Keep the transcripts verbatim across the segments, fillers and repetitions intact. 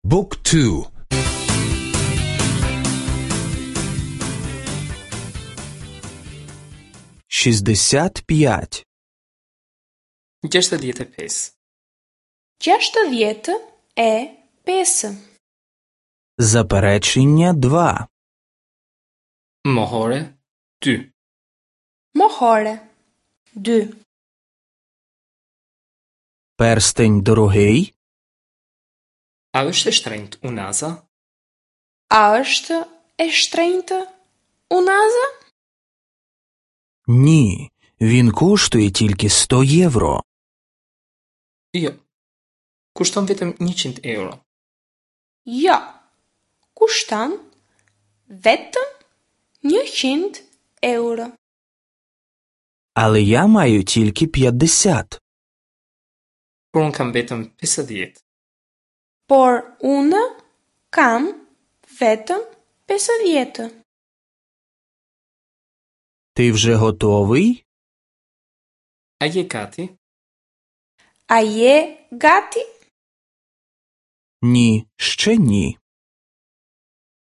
Book two. Шістдесят п'ять. Gjashtëdhjetë e pesë. Gjashtëdhjetë e pesë. Заперечення два. Mohore dy. Mohore dy. Перстень дорогий? A është e shtrenjtë unaza? A është e shtrenjtë unaza? Ні, він коштує тільки сто євро. Jo. Kushton vetëm njëqind euro. Jo. Kushton vetëm njëqind euro. Але я маю тільки п'ятдесят. Por unë kam vetëm pesëdhjetë. Por unë kam vetëm pesëdhjetë. Ти вже готовий? A je gati? A je gati? Ні, ще ні.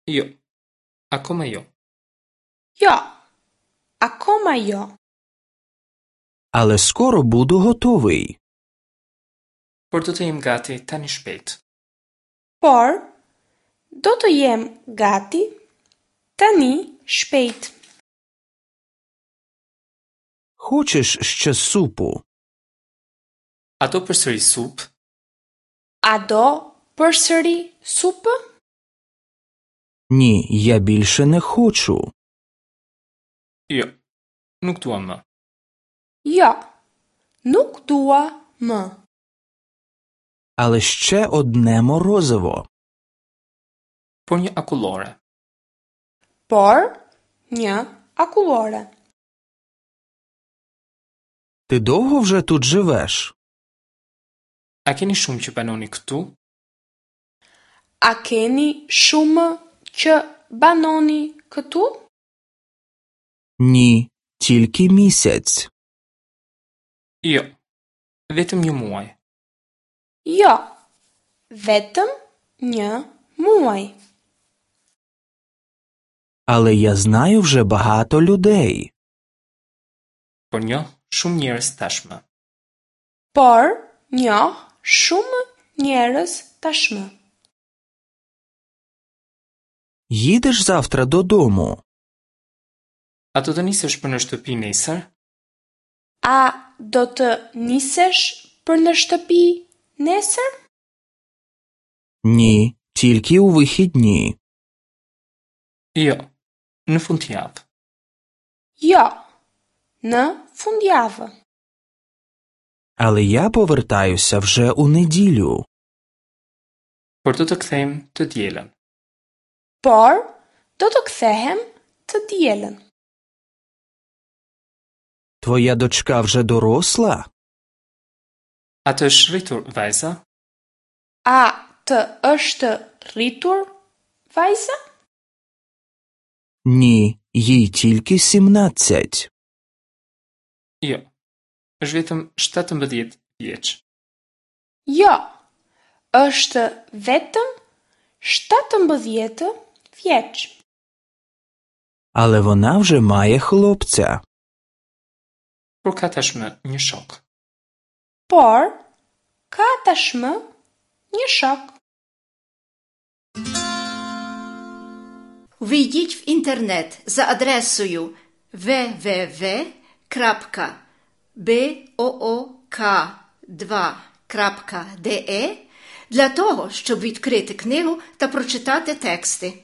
Jo. Akoma jo. Jo. Akoma jo. Але скоро буду готовий. Por do të jem gati tani shpejt. Por do të jem gati tani shpejt. Хочеш ще супу? A do përsëri supë? A do përsëri supë? Ні, я більше не хочу. Jo. Nuk dua më. Jo. Nuk dua më. Але ще одне морозиво. Por një akullore. Por një akullore. Ти довго вже тут живеш? A keni shumë që banoni këtu? A keni shumë që banoni këtu? Ні, тільки місяць. Jo. Vetëm një muaj. Jo. Vetëm një muaj. Але я знаю вже багато людей. Por njoh shumë njerëz tashmë. Por njoh shumë njerëz tashmë. Їдеш завтра додому? A do të nisesh për në shtëpi nesër? A do të nisesh për në shtëpi nesër? Ні, тільки у вихідні. Jo. Në fundjavë. Jo. Në fundjavë. Але я повертаюся вже у неділю. Por do të kthehem të dielën. Por do të kthehem të dielën. Твоя дочка вже доросла? A të është rritur vajza? A të është rritur vajza? Ні, їй тільки сімнадцять. Jo. Është vetëm shtatëmbëdhjetë vjeç. Jo. Është vetëm shtatëmbëdhjetë vjeç. Але вона вже має хлопця. Por ka tashmë një shok. Por ka tashmë një shok. Ввійдіть в інтернет за адресою ве ве ве крапка бе о о ка два крапка де е для того, щоб відкрити книгу та прочитати тексти.